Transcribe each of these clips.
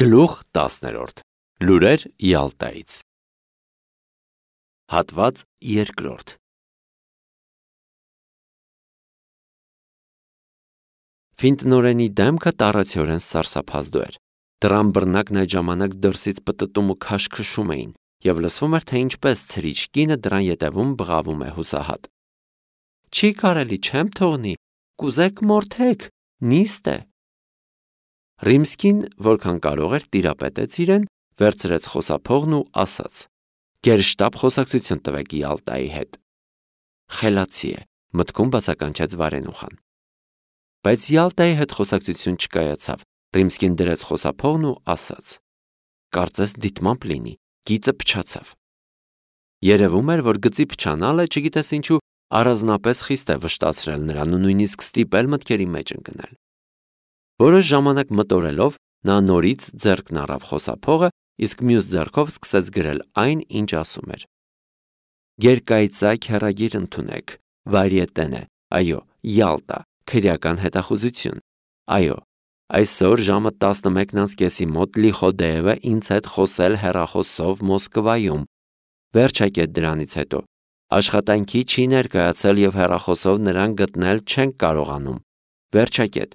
Գլուխ 10 Լուրեր Յալտայից Հատված 2 Ֆինտնորենի դեմքը տառացիորեն սարսափազդու էր։ Դռան բռնակն այդ ժամանակ դրսից պտտում ու քաշքշում էին, և լսվում էր, թե ինչպես ցրիչ կինը դռան ետևում բղավում է հուսահատ։ Չի կարելի, չեմ թողնի, կուզեք մորթեք, նիստ է։ Ռիմսկին, որքան կարող էր, տիրապետեց իրեն, վերցրեց խոսափողն ու ասաց. «Գերշտաբ խոսակցություն տվեք Յալտայի հետ»։ Խելացի է, մտքում բացականչեց Վարենուխան։ Բայց Յալտայի հետ խոսակցություն չկայացավ։ Ռիմսկին դրեց խոսափողն ու ասաց. «Կարծես դիտմամբ լինի, գիծը փչացավ»։ Երևում էր, որ գծի փչանալը, չգիտես ինչու, առանձնապես խիստ է վշտացրել նրան ու նույնիսկ ստիպել մտքերի մեջ ընկնել։ Որոշ ժամանակ մտորելով, նա նորից ձեռքն առավ խոսափողը, իսկ մյուս ձեռքով սկսեց գրել այն, ինչ ասում էր. «Գերկայծակ հեռագիր ընդունեք, վարիետեն է, այո, Յալտա, քրեական հետախուզություն, այո, այսօր ժամը 11:30 մոտ Լիխոդեևը ինձ հետ խոսել հեռախոսով Մոսկվայում, վերջակետ դրանից հետո, աշխատանքի չի ներկայացել և հեռախոսով նրան գտնել չենք կարողանում, վերջակետ,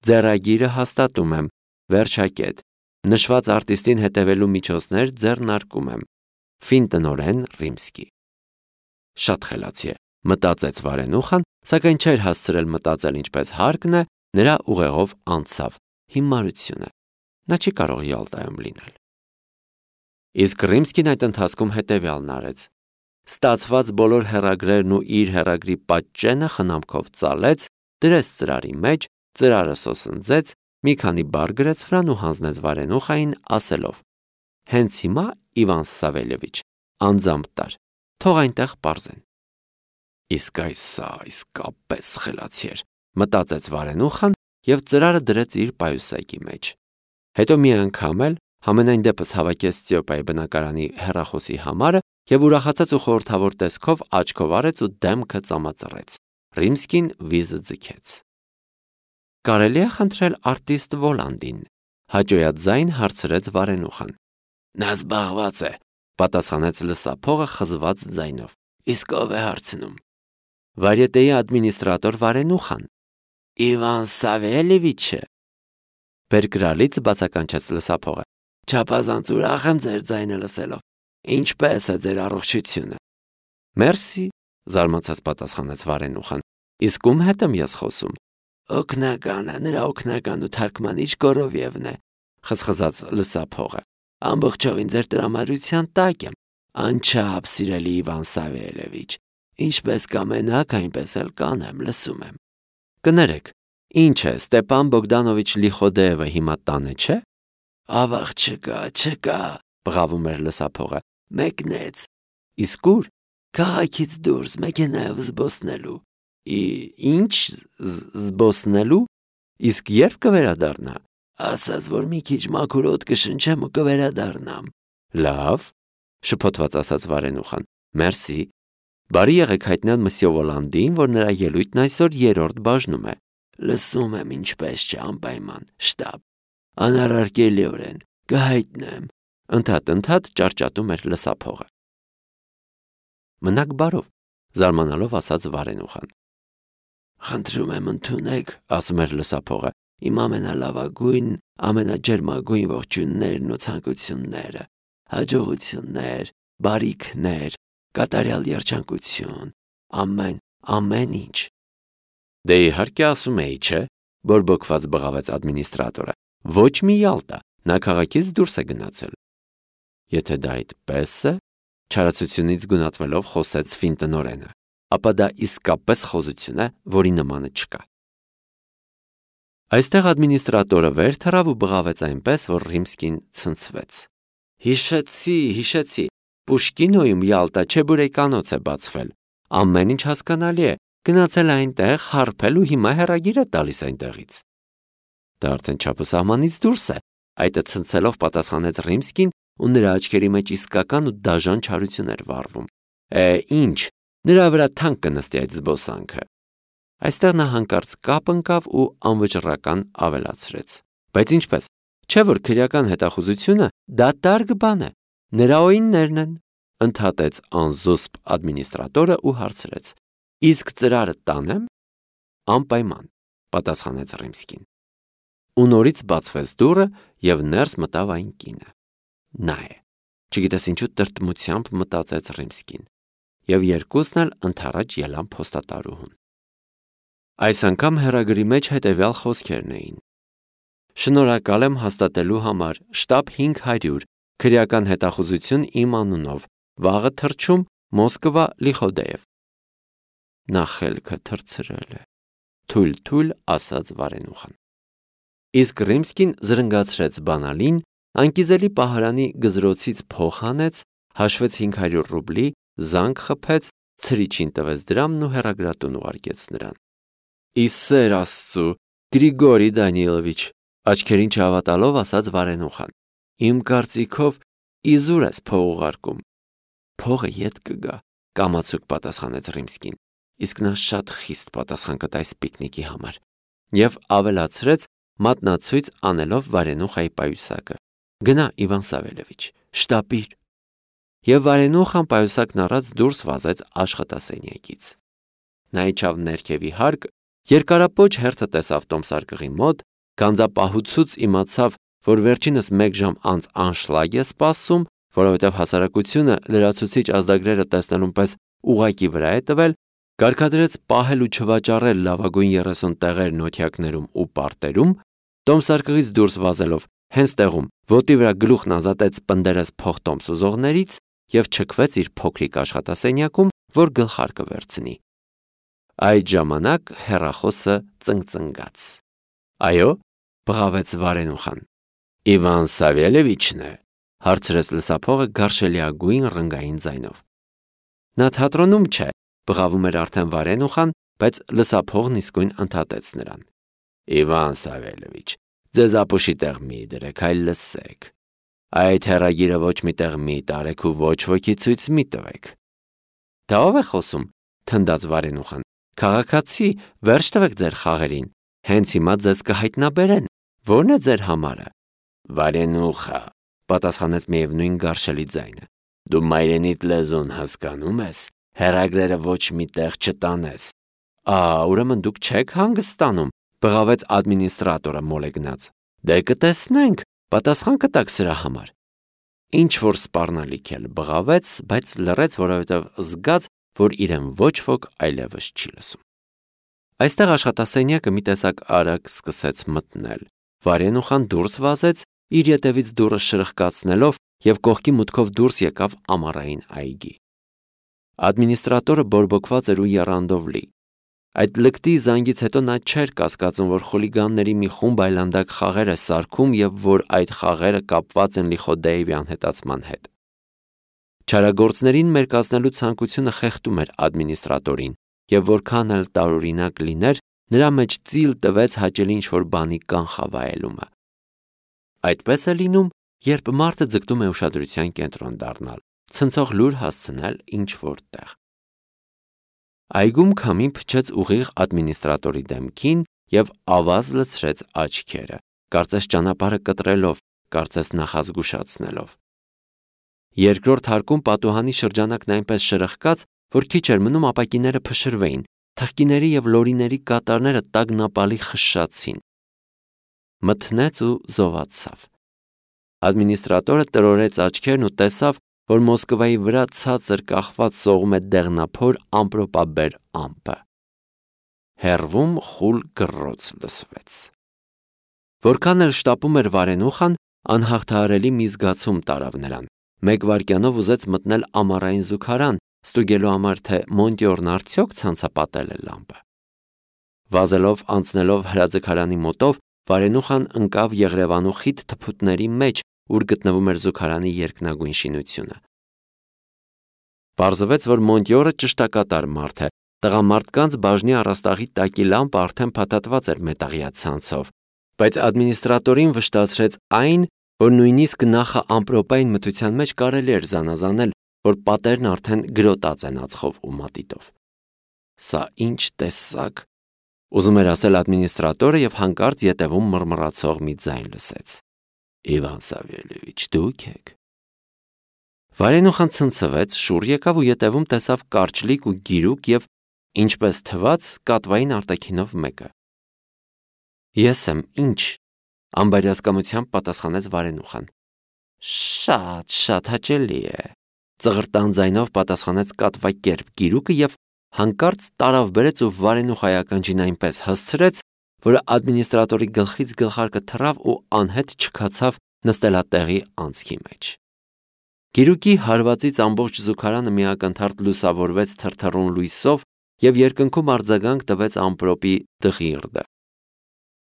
ձեռագիրը հաստատում եմ, վերջակետ, նշված արտիստին հետևելու միջոցներ ձեռնարկում եմ, Ֆինտնորեն Ռիմսկի»։ Շատ խելացի է, մտածեց Վարենուխան, սակայն չէր հասցրել մտածել ինչպես հարկն է, նրա ուղեղով անցավ հիմարությունը։ Նա չի կարող Յալտայում լինել։ Իսկ Ռիմսկին այդ ընթացքում հետևյալն արեց. ստացված բոլոր հեռագրերն ու իր հեռագրի պատճենը խնամքով ծալեց, դրեց ծրարի մեջ, ծրարը սոսնձեց, մի քանի բառ գրեց վրան ու հանձնեց Վարենուխային, ասելով. «Հենց հիմա, Իվան Սավելևիչ, անձամբ տար, թող այնտեղ պարզեն»։ Իսկ այս սա իսկապես խելացի էր, մտածեց Վարենուխան և ծրարը դրեց իր պայուսակի մեջ։ Հետո մի անգամ էլ, համենայն դեպս հավաքեց Ստիոպայի բնակարանի հեռախոսի համարը և ուրախացած ու խորհրդավոր տեսքով աչքով արեց ու դեմքը ծամածռեց։ Ռիմսկին վիզը ձգեց։ «Կարելի է խնդրել արտիստ Վոլանդին»։ Հաճոյաձայն հարցրեց Վարենուխան։ «Նա զբաղված է», պատասխանեց լսափողը խզված ձայնով։ «Իսկ ով է հարցնում»։ Վարիետեի ադմինիստրատոր Վարենուխան։ «Իվան Սավելևիչը»։ Բերկրալից բացականչեց լսափողը։ «Չափազանց ուրախ եմ ձեր ձայնը լսելով։ Ինչպե՞ս է ձեր առողջությունը»։ «Մերսի», զարմացած պատասխանեց Վարենուխան։ «Իսկ ում հետ եմ ես խոսում»։ «Օգնականը, նրա օգնական ու թարգմանիչ Գորովևն է», խզխզաց լսափողը։ «Ամբողջովին ձեր տրամադրության տակ եմ, անչափ սիրելի Իվան Սավելևիչ, ինչպես կամենաք, այնպես էլ կանեմ, լսում եմ»։ «Կներեք, ինչ է, Ստեպան Բոգդանովիչ Լիխոդեևը հիմա տանը չէ»։ «Ավաղ չկա, բղավում էր լսափողը, մեկնեց»։ «Իսկ ուր»։ «Քաղաքից դուրս, մեքենայով զբոսնելու»։ Ինչ զբոսնելու։ Իսկ երբ կվերադառնա։ «Ասաց, որ մի քիչ մաքուր օդ կշնչեմ ու կվերադառնամ»։ «Լավ», շփոթված ասաց Վարենուխան, «մերսի, բարի եղեք հայտնել մսյո Վոլանդին, որ նրա ելույթն այսօր 3-րդ բաժնում է»։ «Լսում եմ, ինչպես չէ, անպայման, շտապ, անառարկելիորեն, կհայտնեմ», ընդհատ ճարճատում էր լսափողը։ «Մնաք բարով», զարմանալով ասաց Վարենուխան։ «Խնդրում եմ ընդունեք», ասում էր լսափողը, «իմ ամենալավագույն, ամենաջերմագույն ողջույններն ու ցանկությունները, հաջողություններ, բարիքներ, կատարյալ երջանկություն, ամեն ինչ»։ «Դե իհարկե ասում էի, չէ», բորբոքված բղավեց ադմինիստրատորը։ «Ոչ մի Յալտա, նա քաղաքից դուրս է գնացել»։ «Եթե դա այդպես է», չարացությունից գունատվելով խոսեց Ֆինտնորենը, «ապա դա իսկապես խոզություն է, որի նմանը չկա»։ Այստեղ ադմինիստրատորը վեր թռավ ու բղավեց այնպես, որ Ռիմսկին ցնցվեց։ Հիշեցի, Պուշկինոյում Յալտա Չեբուրեկանոց է բացվել։ Ամեն ինչ հասկանալի է, գնացել այնտեղ, հարբել ու հիմա հեռագիր է տալիս այնտեղից։ Դա արդեն չափը սահմանից դուրս է, այդը ցնցելով պատասխանեց Ռիմսկին ու նրա աչքերի մեջ իսկական ու դաժան չարություն էր վառվում։ Ինչ, նրա վրա թանկ կնստի այդ զբոսանքը։ Այստեղ նա հանկարծ կապ ընկավ ու անվճռական ավելացրեց. Բայց ինչպես, Չէ՞ որ քրեական հետախուզությունը դատարկ բան է, նրա օիններն են, ընդհատեց անզուսպ ադմինիստրատորը ու հարցրեց. Իսկ ծրարը տանեմ։ Անպայման, պատասխանեց Ռիմսկին։ Ու նորից բացվեց դուռը եւ ներս մտավ այն կինը։ Նա է։ Չգիտես ինչու տրտմությամբ մտածեց Ռիմսկին, եւ երկուսն էլ ընդառաջ ելան փոստատարուհուն։ Այս անգամ հեռագրի մեջ հետեւյալ խոսքերն էին. Շնորհակալ եմ հաստատելու համար շտաբ 500 քրեական հետախուզություն իմ անունով, վաղը թռչում Մոսկվա Լիխոդեև։ Նա խելքը թռցրել է, թույլ ասաց Վարենուխան։ Իսկ Ռիմսկին զրնգացրեց բանալին, անկիզելի պահարանի գզրոցից փող հանեց, հաշվեց 500 ռուբլի, զանգ խփեց, ցրիչին տվեց դրամն ու հեռագրատուն ուղարկեց նրան։ Իսեր Աստծու, Գրիգորի Դանիելովիչ, աչքերին չհավատալով ասաց Վարենուխան։ Իմ կարծիքով իզուր ես փող ուղարկում։ Փողը ետ կգա, կամացուկ պատասխանեց Ռիմսկին, իսկ նա շատ խիստ պատասխան կտա այս պիկնիկի համար։ Եվ ավելացրեց, մատնացույց անելով Վարենուխայի պայուսակը. Գնա Իվան Սավելևիչ, շտապիր։ Եվ Վարենուխան պայուսակն առած դուրս վազեց աշխատասենյակից։ Նա իջավ ներքևի հարկ, երկարապոչ հերթը տեսավ տոմսարկղի մոտ, գանձապահուցուց իմացավ, որ վերջինս 1 ժամ անց անշլագ է սպասում, որովհետև հասարակությունը լրացուցիչ ազդագրերը տեսնելուն պես ուղակի վրա է տվել, կարգադրեց պահել ու չվաճառել լավագույն 30 տեղեր նոթյակներում ու պարտերում, տոմսարկղից դուրս վազելով հենց տեղում ոտի վրա գլուխն ազատեց պնդերես փողտոմս ուզողներից եւ չքվեց իր փոքրիկ աշխատասենյակում, որ գլխարկը վերցնի։ Այդ ժամանակ հեռախոսը ծնգծնգաց։ Այո, բղավեց Վարենուխան։ Իվան Սավելևիչն է, հարցրեց լսափողը գարշելիագույն ռնգային ձայնով։ Նա թատրոնում չէ, բղավում էր արդեն Վարենուխան, բայց լսափողն իսկույն ընդհատեց նրան։ Իվան Սավելևիչ, ձեզ ապուշի տեղ մի դրեք, այլ լսեք։ Այդ հեռագիրը ոչ մի տեղ մի տարեք ու ոչ ոքի ցույց մի տվեք։ Դա ով է խոսում, թնդաց Վարենուխան։ Քաղաքացի, վերջ տվեք ձեր խաղերին։ Հենց հիմա ձեզ կհայտնաբերեն։ Ո՞րն է ձեր համարը։ Վարենուխա, պատասխանեց միևնույն գարշելի ձայնը։ Դու մայրենիդ լեզուն հասկանում ես, հեռագրերը ոչ մի տեղ չտանես։ Ուրեմն դուք չեք հանգստանում, բղավեց ադմինիստրատորը մոլեգնած։ Դե կտեսնենք, պատասխան կտաք սրա համար։ Ինչ որ սպառնալիք էլ բղավեց, բայց լռեց, որովհետև զգաց, որ իրեն ոչ ոք այլևս չի լսում։ Այստեղ աշխատասենյակը մի տեսակ արագ սկսեց մտնել։ Վարենուխան դուրս վազեց, իր ետևից դուռը շրխկացնելով եւ կողքի մուտքով դուրս եկավ ամառային այգի։ Ադմինիստրատորը բորբոքված էր ու եռանդով լի։ Այդ լկտի զանգից հետո նա չէր կասկածում, որ խուլիգանների մի խումբ այլանդակ խաղեր է սարքում եւ որ այդ խաղերը կապված են Լիխոդեևի անհետացման հետ։ Չարագործներին մերկացնելու ցանկությունը խեղդում էր ադմինիստրատորին, եւ որքան էլ տարօրինակ լիներ, նրա մեջ ծիլ տվեց հաճելի ինչ-որ բանի կանխավայելումը։ Այդպես է լինում, երբ մարդը ձգտում է ուշադրության կենտրոն դառնալ, ցնցող լուր հասցնել ինչ-որ տեղ։ Այգում քամին փչեց ուղիղ ադմինիստրատորի դեմքին եւ ավազ լցրեց աչքերը, կարծես ճանապարհը կտրելով, կարծես նախազգուշացնելով։ Երկրորդ հարկում պատուհանի շրջանակն այնպես շրխկաց, որ քիչ էր մնում ապակիները փշրվեին, թխկիների եւ լորիների կատարները տագնապալի խշշացին։ Մթնեց ու զովացավ։ Ադմինիստրատորը տրորեց աչքերն ու տեսավ, որ Մոսկվայի վրա ցածր կախված սողում է դեղնափոր ամպրոպաբեր ամպը։ Հեռվում խուլ գռոց լսվեց։ Որքան էլ շտապում էր Վարենուխան, անհաղթահարելի մի զգացում տարավ նրան։ 1 վայրկյանով ուզեց մտնել ամառային զուգարան, ստուգելու համար, թե Մոնտյորն արդյոք ցանցապատել է լամպը։ Վազելով անցնելով հրաձգարանի մոտով, Վարենուխան ընկավ Եղրևանու խիտ թփուտների մեջ, ուր գտնվում էր զուգարանի երկնագույն շինությունը։ Պարզվեց, որ Մոնտյորը ճշտակատար մարդ է, տղամարդկանց բաժնի առաստաղի տակի լամպը արդեն փաթաթված էր մետաղյա ցանցով, բայց ադմինիստրատորին վշտացրեց այն, որ նույնիսկ նախը ամպրոպային մթության մեջ կարելի էր զանազանել, որ պատերն արդեն գրոտած են ածխով ու մատիտով։ Սա ինչ տեսակ, ուզում էր ասել ադմինիստրատորը եւ հանկարծ ետևում մռմռացող մի ձայն լսեց։ Իվան Սավելևիչ, դուք եք։ Վարենուխան ցնցվեց, շուռ եկավ ու ետևում տեսավ կարճլիկ ու գիրուկ եւ ինչպես թվաց կատվային արտաքինով մեկը։ Ես եմ, ինչ, անբարյացկամությամբ պատասխանեց Վարենուխան։ Շատ հաճելի է, ծղրտան ձայնով պատասխանեց կատվակերպ գիրուկը եւ հանկարծ տարավ բերեց ու Վարենուխայի ականջին այնպես հասցրեց, որ ադմինիստրատորի գլխից գլխարկը թռավ ու անհետ չքացավ նստելատեղի անցքի մեջ։ Գիրուկի հարվածից ամբողջ զուգարանը միակնթարթ լուսավորվեց թրթռուն լույսով եւ երկնքում արձագանք տվեց ամպրոպի դղիրդը։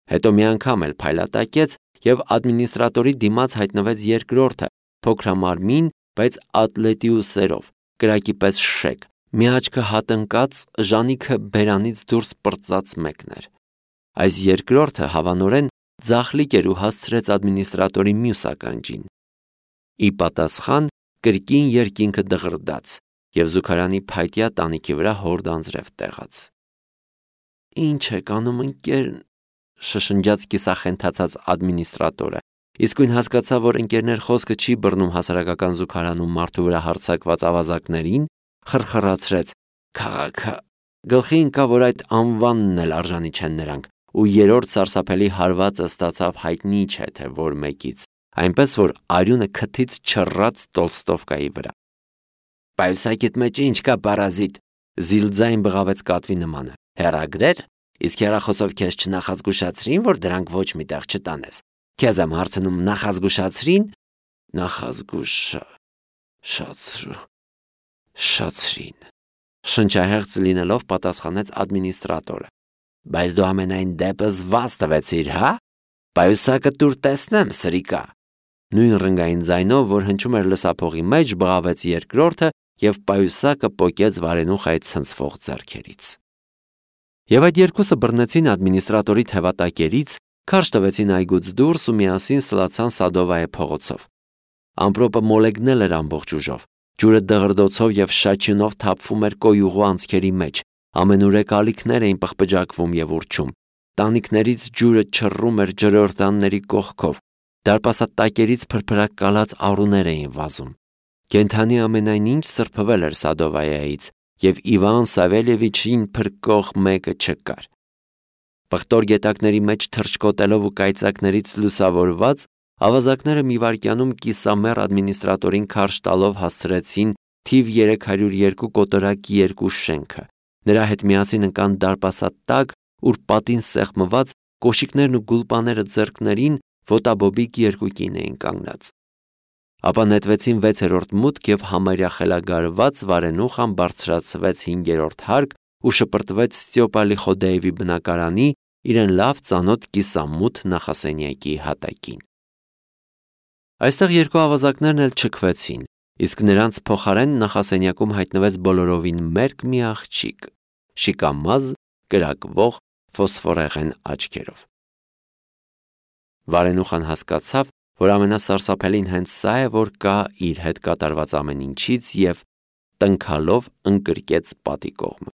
Հետո մի անգամ էլ փայլատակեց եւ ադմինիստրատորի դիմաց հայտնվեց երկրորդը, փոքրամարմին, բայց ատլետիուսերով, կրակի պես շեկ, մի աչքը հատնկած, ժանիքը բերանից դուրս պրծած մեկն էր։ Այս երկրորդը հավանորեն ձախլիկ էր ու հասցրեց ադմինիստրատորի մյուս ականջին։ Ի պատասխան կրկին երկինքը դղրդաց եւ զուգարանի փայտյա տանիքի վրա հորդանձրև տեղաց։ Ինչ եք անում, ընկեր, շշնջաց կիսախենթացած ադմինիստրատորը։ Իսկույն հասկացավ, որ ընկերներ խոսքը չի բռնում հասարակական զուգարանում մարդու վրա հարձակված ավազակներին, խրխրացրեց. Քաղաքը գլխի ընկավ, որ այդ անվանն էլ արժանի չեն նրանք, ու երրորդ սարսափելի հարվածը ստացավ հայտնի չէ թե որ մեկից, այնպես որ արյունը քթից չռած Տոլստովկայի վրա։ Պայուսակիդ մեջ ինչ կա, պարազիտ, զիլձայն բղավեց կատվի նմանը։ Հեռագրեր, իսկ հեռախոսով քեզ չնախազգուշացրին, որ դրանք ոչ մի տեղ չտանես։ Քեզ եմ հարցնում, նախազգուշացրին։ Շացրին։ Շնչահեղձ լինելով պատասխանեց ադմինիստրատորը։ Բայց դու ամենայն դեպս վազ տվեցիր, հա? Պայուսակը տուր տեսնեմ, սրիկա։ Նույն ռնգային ձայնով, որ հնչում էր լսափողի մեջ, բղավեց երկրորդը եւ պայուսակը պոկեց Վարենուխայի ցնցվող ձեռքերից։ Եվ այդ երկուսը բռնեցին ադմինիստրատորի թևատակերից, քարշ տվեցին այգուց դուրս ու միասին սլացան Սադովայե փողոցով։ Ամպրոպը մոլեգնել էր ամբողջ ուժով, ջուրը դղրդոցով եւ շաչյունով թափվում էր կոյուղու անցքերի մեջ, ամենուրեք ալիքներ էին պղպջակվում եւ ուռչում, տանիքներից ջուրը չռում էր ջրորդանների կողքով, դարպասատակերից փրփրակ կալած առուներ էին վազում։ Կենթանի ամենայն ինչ սրբվել էր Սադովայեից, եւ Իվան Սավելևիչին փրկող մեկը չկար։ Պղտոր գետակների մեջ թռչկոտելով ու կայծակներից լուսավորված, ավազակները մի վայրկյանում կիսամեռ ադմինիստրատորին քարշ տալով հասցրեցին թիվ 302 կոտորակ 2 շենքը։ Նրա հետ միասին ընկան դարպասատակ, ուր պատին սեղմված կոշիկներն ու գուլպաները ձեռքներին ոտաբոբիկ երկուկին էին կանգնած։ Ապա նետվեցին 6-րդ մուտք եւ համարյա խելագարված Վարենուխան բարձրացվեց 5-րդ հարկ ու շպրտվեց Ստյոպա Լիխոդեևի բնակարանի իրեն լավ ծանոթ կիսամութ նախասենյակի հատակին։ Այստեղ երկու ավազակներն էլ չքվեցին, իսկ նրանց փոխարեն նախասենյակում հայտնվեց բոլորովին մերկ մի աղջիկ, շիկամազ, կրակվող ֆոսֆորեղեն աչքերով։ Վարենուխան հասկացավ, որ ամենասարսափելին հենց սա է, որ կա իր հետ կատարված ամեն ինչից եւ տնքալով ընկրկեց պատի կողմը։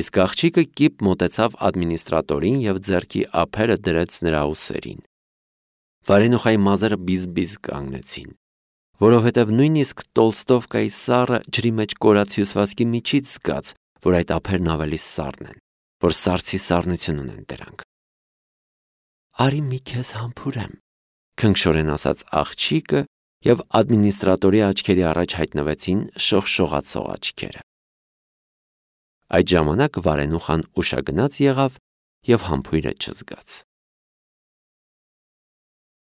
Իսկ աղջիկը կիպ մոտեցավ ադմինիստրատորին եւ ձեռքի ափերը դրեց նրա ուսերին։ Վարենուխայի մազերը բիզ-բիզ կանգնեցին, որովհետեւ նույնիսկ Տոլստովկայի սառը ջրի մեջ կորած հյուսվածքի միջից զգաց, որ այդ ափերն ավելի սառն են, որ սառցի սառնություն ունեն դրանք։ Արի մի քեզ համբուրեմ, քնքշորեն ասաց աղջիկը եւ ադմինիստրատորի աչքերի առաջ հայտնվեցին շողշողացող աչքերը։ Այդ ժամանակ Վարենուխան ուշագնաց եղավ եւ համբույրը չզգաց։